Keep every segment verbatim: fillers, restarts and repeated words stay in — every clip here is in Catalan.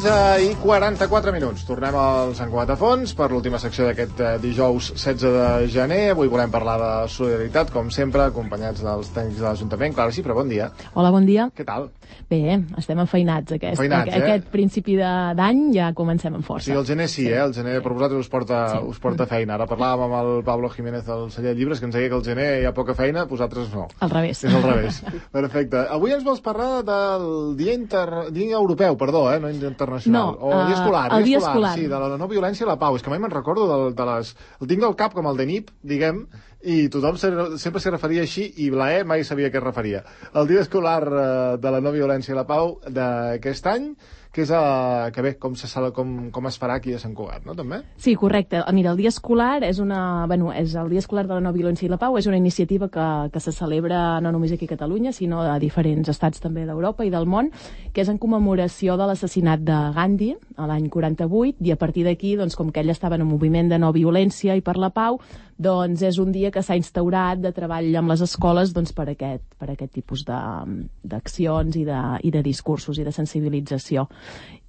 tretze i quaranta-quatre minuts. Tornem al Sant Cugat a Fons per l'última secció d'aquest dijous setze de gener. Avui volem parlar de solidaritat, com sempre, acompanyats dels tècnics de l'Ajuntament. Clara Cifra, bon dia. Hola, bon dia. Què tal? Bé, estem enfeinats. Aquest, Feinats, eh? aquest principi d'any ja comencem amb força. Sí, el gener sí, eh? El gener per vosaltres us porta, sí. us porta feina. Ara parlàvem amb el Pablo Jiménez del celler de llibres, que ens deia que el gener hi ha poca feina, vosaltres no. Al revés. És al revés. Perfecte. Avui ens vols parlar del Dia, Inter... dia Europeu, perdó, eh? No internacional. No, o el dia escolar. el dia escolar, escolar. Sí, de la no violència i la pau. És que mai me'n recordo de, de les... El tinc del cap com el de N I P, diguem, i tothom se, sempre s'hi referia així, i la E mai sabia què es referia. El dia escolar eh, de la no violència i la pau d'aquest any, que és a, que bé, com, se, com, com es farà aquí a Sant Cugat, no, també? Sí, correcte. Mira, el dia escolar és una... Bueno, és el dia escolar de la no violència i la pau és una iniciativa que, que se celebra no només aquí a Catalunya, sinó a diferents estats també d'Europa i del món, que és en commemoració de l'assassinat de Gandhi, a l'any quaranta-vuit, i a partir d'aquí, doncs, com que ell estava en un moviment de no violència i per la pau, doncs és un dia que s'ha instaurat de treball amb les escoles doncs, per, aquest, per aquest tipus d'accions i, de, i de discursos i de sensibilització.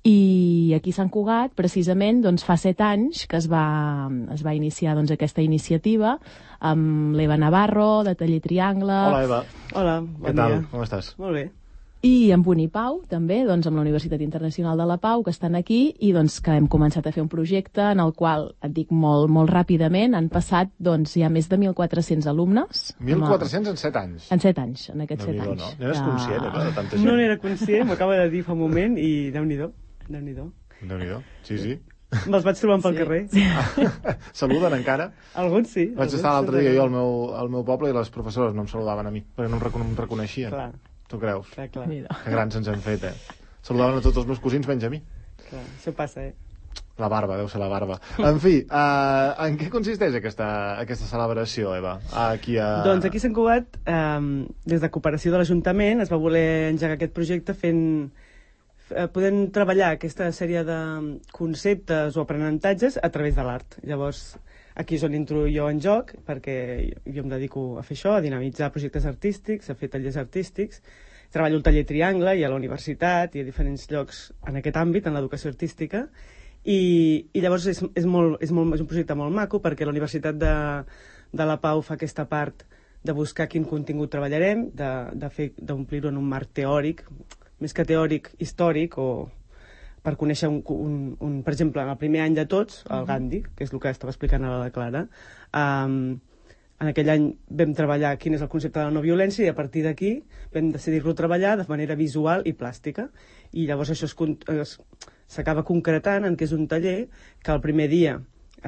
I aquí a Sant Cugat, precisament, doncs, fa set anys que es va, es va iniciar doncs, aquesta iniciativa amb l'Eva Navarro, de Taller Triangle. Hola, Eva. Hola, bon Què tal? dia. Com estàs? Molt bé. I amb Unipau, també, doncs, amb la Universitat Internacional de la Pau, que estan aquí, i doncs, que hem començat a fer un projecte en el qual, et dic molt, molt ràpidament, han passat doncs, ja més de mil quatre-cents alumnes. mil quatre-cents en set anys? En set anys, en aquests No, set no, anys. no. No eres conscient, eh, de tanta gent? No n'era conscient, m'acaba de dir fa un moment, i Déu-n'hi-do, Déu-n'hi-do. Déu-n'hi-do, sí, sí. Me'ls vaig trobant pel Sí. carrer. Ah, saluden encara? Alguns sí. Vaig alguns estar l'altre sí, dia jo al meu, al meu poble i les professores no em saludaven a mi, perquè no em, recon em reconeixien. Clar, Tu creus? clar, clar, Mira. Que grans ens hem fet, eh? Saludaven a tots els meus cosins menys a mi. clar. Això passa, eh? La barba, deu ser la barba. En fi, uh, en què consisteix aquesta, aquesta celebració, Eva? Aquí a... Doncs aquí a Sant Cugat, eh, des de cooperació de l'Ajuntament, es va voler engegar aquest projecte fent... Eh, podent treballar aquesta sèrie de conceptes o aprenentatges a través de l'art. Llavors, aquí és on entro jo en joc, perquè jo em dedico a fer això, a dinamitzar projectes artístics, a fer tallers artístics. Treballo al Taller Triangle i a la universitat i a diferents llocs en aquest àmbit, en l'educació artística. I, i llavors és, és, molt, és, molt, és un projecte molt maco, perquè la Universitat de, de la Pau fa aquesta part de buscar quin contingut treballarem, de, de fer d'omplir-ho en un marc teòric, més que teòric, històric, o per conèixer, un, un, un, per exemple, en el primer any de tots, el Gandhi, que és el que estava explicant ara la Clara, um, en aquell any vam treballar quin és el concepte de la no violència i a partir d'aquí vam decidir-lo treballar de manera visual i plàstica. I llavors això s'acaba concretant en què és un taller que el primer dia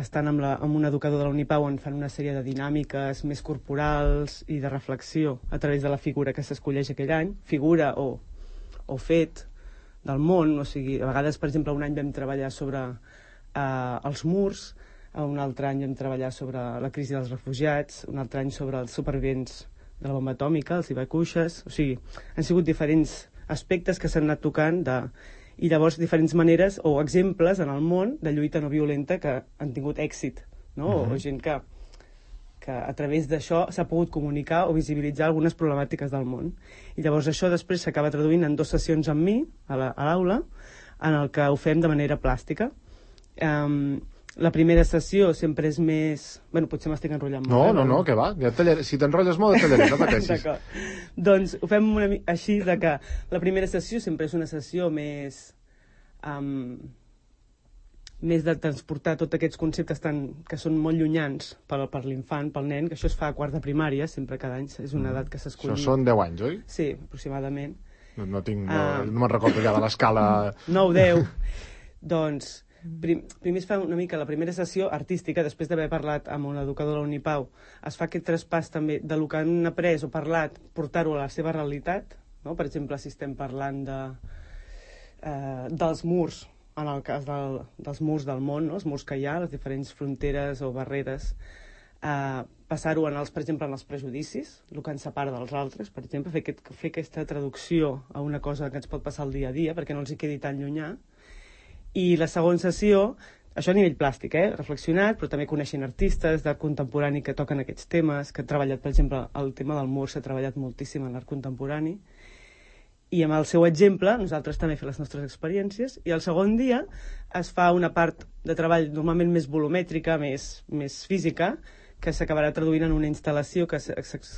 estan amb, la, amb un educador de la Unipau on fan una sèrie de dinàmiques més corporals i de reflexió a través de la figura que s'escolleix aquell any, figura o o fet del món, o sigui, a vegades, per exemple, un any vam treballar sobre eh, els murs, un altre any vam treballar sobre la crisi dels refugiats, un altre any sobre els supervivents de la bomba atòmica, els ibacuixes, o sigui, han sigut diferents aspectes que s'han anat tocant de... i llavors diferents maneres o exemples en el món de lluita no violenta que han tingut èxit, no? Uh-huh. O gent que que a través d'això s'ha pogut comunicar o visibilitzar algunes problemàtiques del món. I llavors això després s'acaba traduint en dues sessions amb mi, a l'aula, en el que ho fem de manera plàstica. Um, la primera sessió sempre és més... Bueno, potser m'estic enrotllant molt. No, eh? no, no, que va. Ja tallaré. Si t'enrotlles molt, et tallaré, no pateixis. D'acord. Doncs ho fem una, així, de que la primera sessió sempre és una sessió més... Um, més de transportar tots aquests conceptes tan, que són molt llunyans per, per l'infant, pel nen, que això es fa a quart de primària, sempre cada any, és una edat que s'escolli. Això són deu anys, oi? Sí, aproximadament. No, no tinc... No, Ah. no me'n recordo ja de l'escala... nou deu. Doncs, prim, primer es fa una mica la primera sessió artística, després d'haver parlat amb un educador de la Unipau, es fa aquest traspàs també de lo que han après o parlat, portar-ho a la seva realitat, no? Per exemple, si estem parlant de, eh, dels murs, en el cas del, dels murs del món, no? Els murs que hi ha, les diferents fronteres o barreres, eh, passar-ho, en els, per exemple, en els prejudicis, el que ens separa dels altres, per exemple, fer, aquest, fer aquesta traducció a una cosa que ens pot passar el dia a dia, perquè no els hi quedi tan llunyà. I la segona sessió, això a nivell plàstic, eh? Reflexionat, però també coneixent artistes d'art contemporani que toquen aquests temes, que han treballat, per exemple, el tema del mur s'ha treballat moltíssim en l'art contemporani. i amb el seu exemple nosaltres també fem les nostres experiències, i el segon dia es fa una part de treball normalment més volumètrica, més, més física, que s'acabarà traduint en una instal·lació que, es,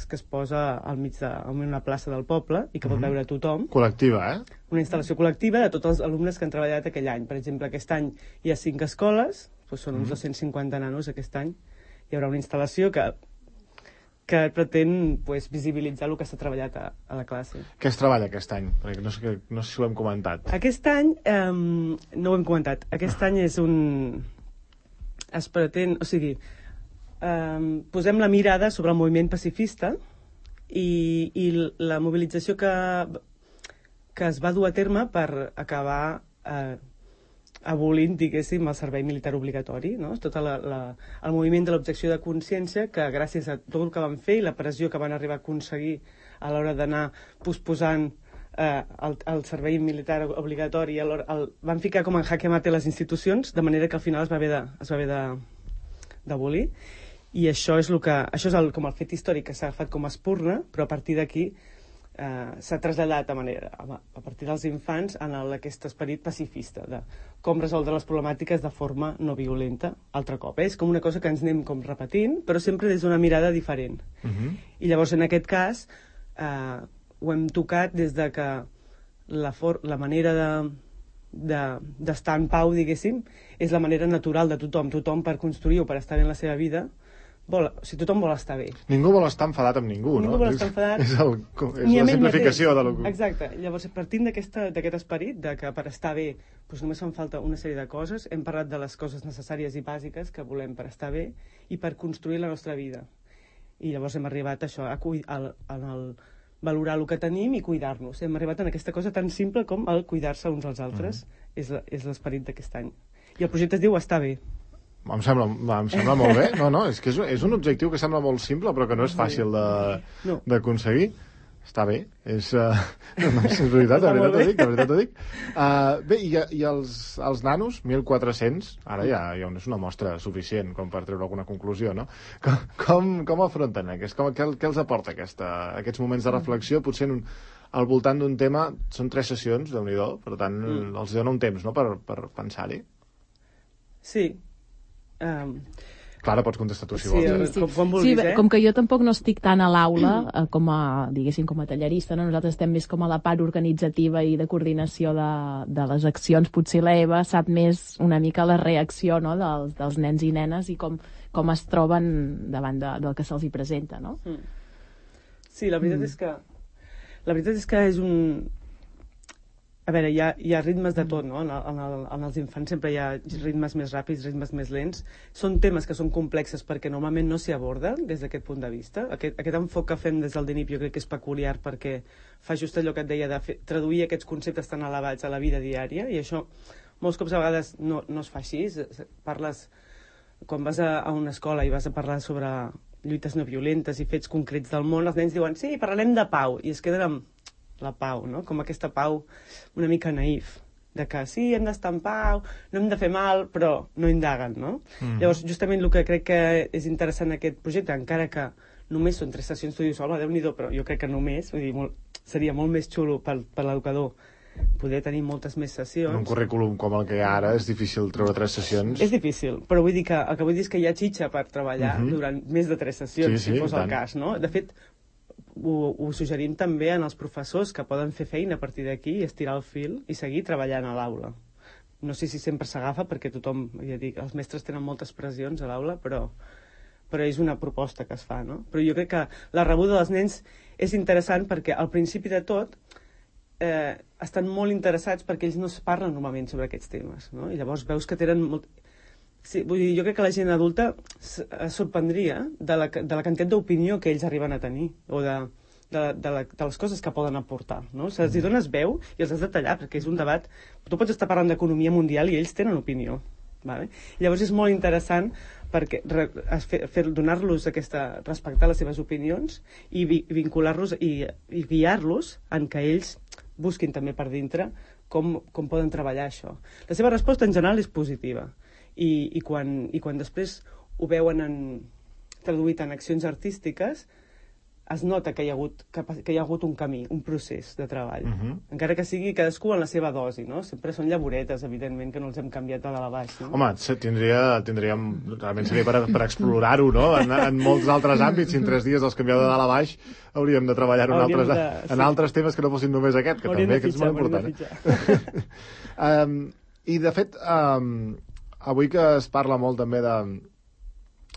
que es posa al mig d'una plaça del poble i que pot veure tothom. Col·lectiva, eh? Una instal·lació col·lectiva de tots els alumnes que han treballat aquell any. Per exemple, aquest any hi ha cinc escoles, doncs són uns dos-cents cinquanta nanos aquest any. Hi haurà una instal·lació que, que pretén pues, visibilitzar el que s'ha treballat a, a la classe. Què es treballa aquest any? Perquè no sé, no sé si ho hem comentat. Aquest any, eh, no ho hem comentat, aquest any és un... es pretén, o sigui, Um, posem la mirada sobre el moviment pacifista i, i la mobilització que, que es va dur a terme per acabar eh, abolint, diguéssim, el servei militar obligatori, no? Tot la, la, el moviment de l'objecció de consciència, que gràcies a tot el que van fer i la pressió que van arribar a aconseguir a l'hora d'anar posposant eh, el, el servei militar obligatori, el, el, van ficar com en jaque mate les institucions, de manera que al final es va haver de, es va haver de, d'abolir. I això és, el que, això és el, com el fet històric que s'ha agafat com a espurna, però a partir d'aquí eh, s'ha traslladat a, manera, a, a partir dels infants en el, aquest esperit pacifista de com resoldre les problemàtiques de forma no violenta, altre cop. Eh? És com una cosa que ens anem com repetint, però sempre des d'una mirada diferent. Uh-huh. I llavors, en aquest cas, eh, ho hem tocat des de que la, for la manera de d'estar de, en pau, diguéssim, és la manera natural de tothom. Tothom, per construir o per estar bé en la seva vida, vol, o sigui, tothom vol estar bé. Ningú vol estar enfadat amb ningú, ningú no? Ningú vol estar enfadat. És, el, és la simplificació de lo que... Exacte. Llavors, partint d'aquest esperit, de que per estar bé doncs només fan falta una sèrie de coses, hem parlat de les coses necessàries i bàsiques que volem per estar bé i per construir la nostra vida. I llavors hem arribat a això, a, a, a, a valorar el que tenim i cuidar-nos. Hem arribat en aquesta cosa tan simple com el cuidar-se uns als altres. Mm. És l'esperit d'aquest any. I el projecte es diu Estar bé. Em sembla, em sembla molt bé. No, no, és que és, és un objectiu que sembla molt simple, però que no és fàcil d'aconseguir. No. Està bé. És, uh, no, és veritat, de veritat ho dic. De veritat ho dic. Uh, bé, i, i els, els nanos, mil quatre-cents, ara ja, ja és una mostra suficient com per treure alguna conclusió, no? Com, com, com afronten aquest? Com, què, què els aporta aquesta, aquests moments de reflexió? Potser en un, al voltant d'un tema, són tres sessions, déu-n'hi-do, per tant, mm. els dona un temps, no?, per, per pensar-hi. Sí. Um... Clara, pots contestar tu, si sí, vols. Sí, com, com vulguis, sí, eh? Com que jo tampoc no estic tant a l'aula eh, com a, diguéssim, com a tallerista, no? Nosaltres estem més com a la part organitzativa i de coordinació de, de les accions. Potser la Eva sap més una mica la reacció, no?, dels, dels nens i nenes i com, com es troben davant de, del que se'ls hi presenta, no? Mm. Sí, la veritat mm. és que la veritat és que és un... A veure, hi ha, hi ha ritmes de tot, no? En, el, en, el, en els infants sempre hi ha ritmes més ràpids, ritmes més lents. Són temes que són complexes perquè normalment no s'hi aborden des d'aquest punt de vista. Aquest, aquest enfoc que fem des del D N I P jo crec que és peculiar perquè fa just allò que et deia de fer, traduir aquests conceptes tan elevats a la vida diària, i això molts cops a vegades no, no es fa així. Parles, quan vas a, a una escola i vas a parlar sobre lluites no violentes i fets concrets del món, els nens diuen, sí, parlarem de pau, i es queden amb la pau, no? Com aquesta pau una mica naïf, de que sí, hem d'estar en pau, no hem de fer mal, però no indaguen, no? Mm. Llavors, justament el que crec que és interessant en aquest projecte, encara que només són tres sessions, tu dius, home, Déu-n'hi-do, però jo crec que només, vull dir, molt, seria molt més xulo per, per l'educador poder tenir moltes més sessions. En un currículum com el que hi ha ara és difícil treure tres sessions. És difícil, però vull dir que el que vull dir és que hi ha xitxa per treballar mm-hmm. durant més de tres sessions, sí, sí, si fos el cas, no? De fet, Ho, ho suggerim també en els professors que poden fer feina a partir d'aquí i estirar el fil i seguir treballant a l'aula. No sé si sempre s'agafa perquè tothom, ja dic, els mestres tenen moltes pressions a l'aula, però, però és una proposta que es fa, no? Però jo crec que la rebuda dels nens és interessant perquè al principi de tot eh, estan molt interessats perquè ells no es parlen normalment sobre aquests temes, no? I llavors veus que tenen molt... Sí, vull dir, jo crec que la gent adulta es sorprendria de la, de la quantitat d'opinió que ells arriben a tenir, o de, de, de, la, de les coses que poden aportar, no? Se'ls hi dones veu i els has de tallar, perquè és un debat... Tu pots estar parlant d'economia mundial i ells tenen opinió, vale? Llavors és molt interessant perquè fer, fer, donar-los aquesta... respectar les seves opinions i vi, vincular-los i, i guiar-los en que ells busquin també per dintre com, com poden treballar això. La seva resposta en general és positiva. I, i, quan, i quan després ho veuen en, traduït en accions artístiques, es nota que hi ha hagut, que, que hi ha hagut un camí, un procés de treball. Uh-huh. Encara que sigui cadascú en la seva dosi, no? Sempre són llaboretes, evidentment, que no els hem canviat de dalt a baix, no? Home, tindria, tindríem, realment seria per, per explorar-ho, no? En, en molts altres àmbits, si en tres dies els canvieu de dalt a baix, hauríem de treballar en, altres, de, en sí. altres temes que no fossin només aquest, que hauríem també que és molt important. um, I, de fet, um, avui que es parla molt també de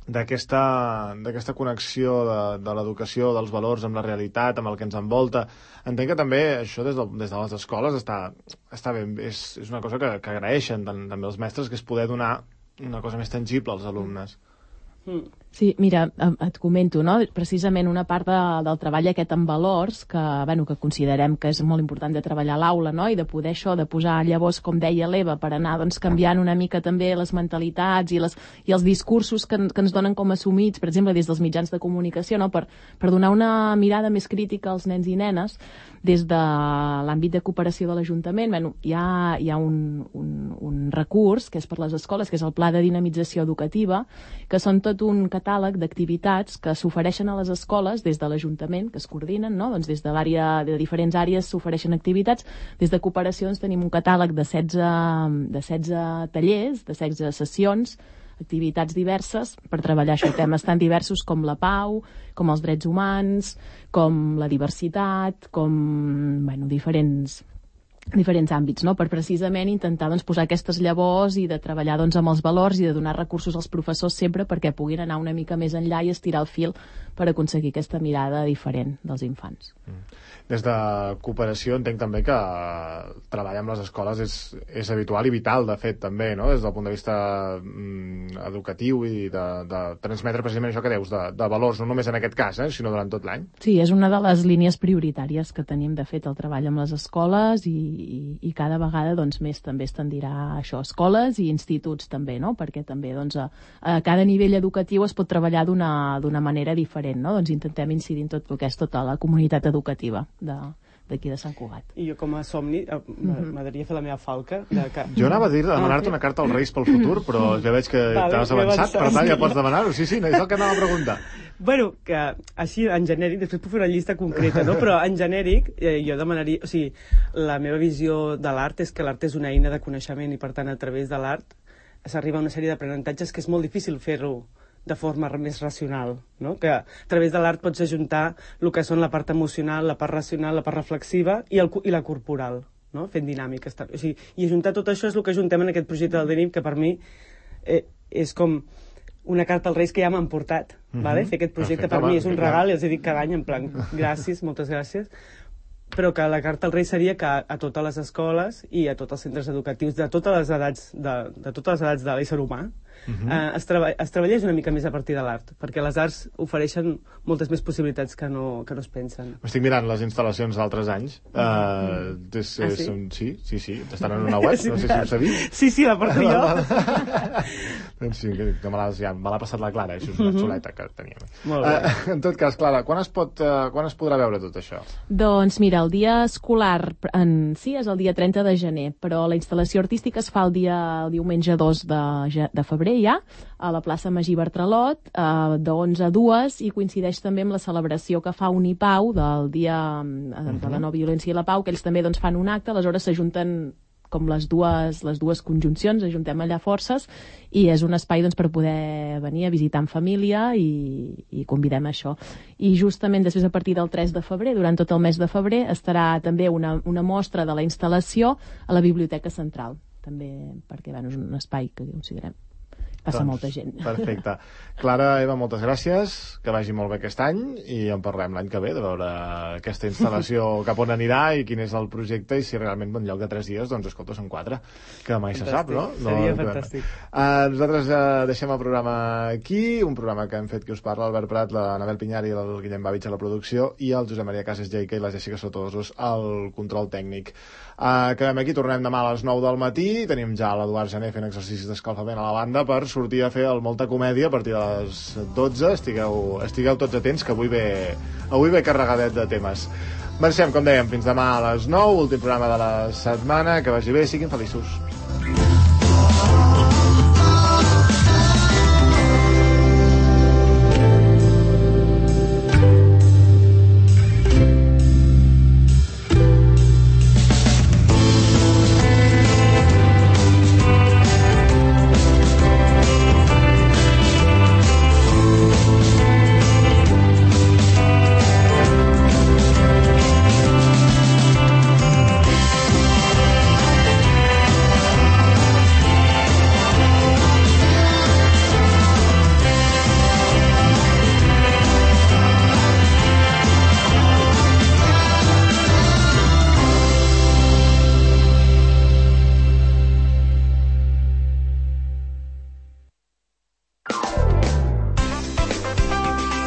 d'aquesta d'aquesta connexió de, de l'educació, dels valors amb la realitat, amb el que ens envolta. Entenc que també això des de, des de les escoles està, està ben, és, és una cosa que, que agraeixen també els mestres, que és poder donar una cosa més tangible als alumnes. Mm. Sí, mira, et comento, no? Precisament una part de, del treball aquest amb valors, que, bueno, que considerem que és molt important de treballar a l'aula, no? I de poder això, de posar llavors, com deia l'Eva, per anar doncs, canviant una mica també les mentalitats i, les, i els discursos que, que ens donen com assumits, per exemple, des dels mitjans de comunicació, no? per, per donar una mirada més crítica als nens i nenes, des de l'àmbit de cooperació de l'Ajuntament. Bueno, hi ha, hi ha un, un, un recurs, que és per les escoles, que és el Pla de Dinamització Educativa, que són tot un catàleg d'activitats que s'ofereixen a les escoles des de l'Ajuntament, que es coordinen, no? Doncs des de l'àrea, de diferents àrees s'ofereixen activitats. Des de cooperació doncs, tenim un catàleg de setze, de setze tallers, de setze sessions, activitats diverses per treballar això, temes tan diversos com la pau, com els drets humans, com la diversitat, com, bueno, diferents diferents àmbits, no? Per precisament intentar doncs, posar aquestes llavors i de treballar doncs, amb els valors i de donar recursos als professors sempre perquè puguin anar una mica més enllà i estirar el fil per aconseguir aquesta mirada diferent dels infants. Des de cooperació entenc també que treballar amb les escoles és, és habitual i vital, de fet, també, no? Des del punt de vista mm, educatiu i de, de transmetre precisament això que deus, de, de valors, no només en aquest cas, eh, sinó durant tot l'any. Sí, és una de les línies prioritàries que tenim, de fet, el treball amb les escoles i I, i cada vegada doncs, més també es tendirà a això, escoles i instituts també, no? Perquè també doncs, a, a cada nivell educatiu es pot treballar d'una manera diferent, no? Doncs intentem incidir en tot el que és tota la comunitat educativa de, d'aquí de Sant Cugat. I jo com a somni m'agradaria fer la meva falca. De que... Jo anava a dir de demanar-te una carta als Reis pel futur, però ja veig que vale, t'has avançat, per tant ja pots demanar-ho. Sí, sí, és el que anava a preguntar. Bueno, que així en genèric, després puc fer una llista concreta, no? Però en genèric eh, jo demanaria, o sigui, la meva visió de l'art és que l'art és una eina de coneixement i per tant a través de l'art s'arriba a una sèrie d'aprenentatges que és molt difícil fer-ho de forma més racional, no? Que a través de l'art pots ajuntar el que són la part emocional, la part racional, la part reflexiva i, el, i la corporal, no? Fent dinàmiques. O sigui, i ajuntar tot això és el que ajuntem en aquest projecte del DENIP, que per mi eh, és com una carta als Reis que ja m'han portat. Mm-hmm. Vale? Fer aquest projecte Perfecte, per mi és un regal, i els he dit cada any en plan, gràcies, moltes gràcies, però que la carta al Rei seria que a totes les escoles i a tots els centres educatius de totes les edats de, de totes les edats de l'ésser humà uh-huh. eh, es, treba, es treballés una mica més a partir de l'art, perquè les arts ofereixen moltes més possibilitats que no, que no es pensen. Estic mirant les instal·lacions d'altres anys. Uh, és, ah, és, sí? Un, sí, sí, sí, estan en una web, no sé si ho sabies. Sí, sí, la porto jo. Doncs sí, que, que me l'ha ja, passat la Clara, això és una xuleta que teníem. Molt bé. Uh, en tot cas, Clara, quan es, pot, uh, quan es podrà veure tot això? Doncs mira, el dia escolar en si és el dia trenta de gener, però la instal·lació artística es fa el dia el diumenge dos de, de febrer ja, a la plaça Magí Bartralot, eh, de onze a dues, i coincideix també amb la celebració que fa Unipau del dia eh, de la no violència i la pau, que ells també doncs, fan un acte, aleshores s'ajunten com les dues, les dues conjuncions, ajuntem allà forces, i és un espai doncs, per poder venir a visitar en família i, i convidem a això. I justament després, a partir del tres de febrer, durant tot el mes de febrer, estarà també una, una mostra de la instal·lació a la Biblioteca Central, també perquè bueno, és un espai que considerem passa doncs, molta gent. Perfecte. Clara, Eva, moltes gràcies, que vagi molt bé aquest any i en parlem l'any que ve de veure aquesta instal·lació cap on anirà i quin és el projecte i si realment en lloc de tres dies, doncs escolta, són quatre, que mai fantàstic. Se sap, no? Seria no, fantàstic. Uh, nosaltres uh, deixem el programa aquí, un programa que hem fet que us parla Albert Prat, l'Anabel Pinyar i el Guillem Bavich a la producció i el Josep Maria Casas Jaica i la Jessica Sotosos al control tècnic. Uh, quedem aquí, tornem demà a les nou del matí, tenim ja l'Eduard Jané fent exercicis d'escalfament a la banda per sortir a fer el Molta Comèdia a partir de les dotze. Estigueu, estigueu tots atents, que avui ve, avui ve carregadet de temes. Marxem, com dèiem, fins demà a les nou, últim programa de la setmana. Que vagi bé, siguin feliços.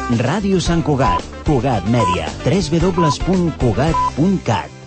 Ràdio Sant Cugat, Cugat Mèdia, w w w punt cugat punt cat.